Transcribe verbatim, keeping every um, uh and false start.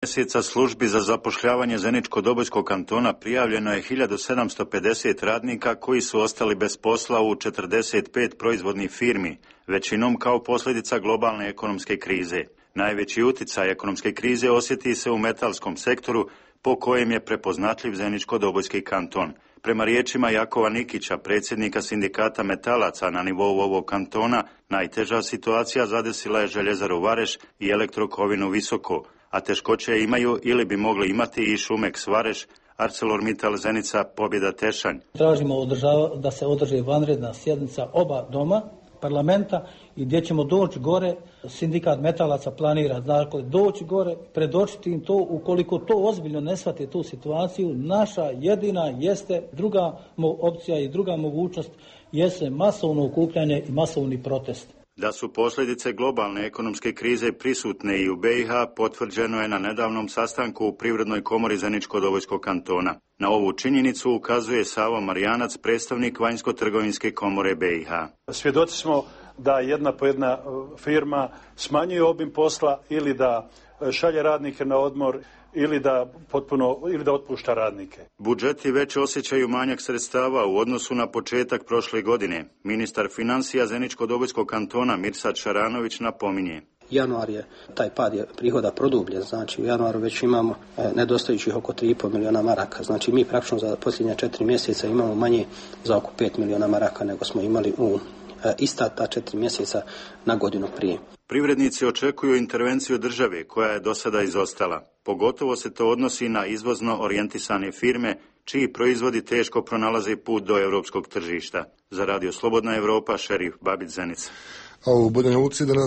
mjeseca službi za zapošljavanje Zeničko-Dobojskog kantona prijavljeno je hiljadu sedamsto pedeset radnika koji su ostali bez posla u četrdeset pet proizvodnih firmi, većinom kao posljedica globalne ekonomske krize. Najveći utjecaj ekonomske krize osjeti se u metalskom sektoru, po kojem je prepoznatljiv Zeničko-Dobojski kanton. Prema riječima Jakova Nikića, predsjednika sindikata metalaca na nivou ovog kantona, najteža situacija zadesila je Željezaru Vareš i Elektrokovinu Visoko, a teškoće imaju ili bi mogli imati i Šumeks Vareš, ArcelorMittal Zenica, Pobjeda Tešanj. Tražimo da se održi vanredna sjednica oba doma parlamenta i gdje ćemo doći gore, sindikat metalaca planira dakle, doći gore, predočiti im to, ukoliko to ozbiljno ne shvate tu situaciju, naša jedina jeste druga opcija i druga mogućnost jeste masovno okupljanje i masovni protest. Da su posljedice globalne ekonomske krize prisutne i u B i H potvrđeno je na nedavnom sastanku u Privrednoj komori Zeničko-Dobojskog kantona. Na ovu činjenicu ukazuje Savo Marijanac, predstavnik Vanjsko-trgovinske komore B i H. Svjedoci smo da jedna po jedna firma smanjuje obim posla ili da šalje radnike na odmor ili da potpuno ili da otpušta radnike. Budžeti već osjećaju manjak sredstava u odnosu na početak prošle godine. Ministar financija Zeničko-Dobojskog kantona Mirsad Šaranović napominje. Januar je, taj pad je prihoda produbljen, znači u januaru već imamo e, nedostajućih oko tri i pol milijuna maraka. Znači mi praktično za posljednja četiri mjeseca imamo manje za oko pet milijuna maraka nego smo imali u e, ista ta četiri mjeseca na godinu prije. Privrednici očekuju intervenciju države koja je do sada izostala. Pogotovo se to odnosi na izvozno orijentisane firme, čiji proizvodi teško pronalaze put do europskog tržišta. Za Radio Slobodna Europa, Šerif Babić Zenica. A u Banja Luci danas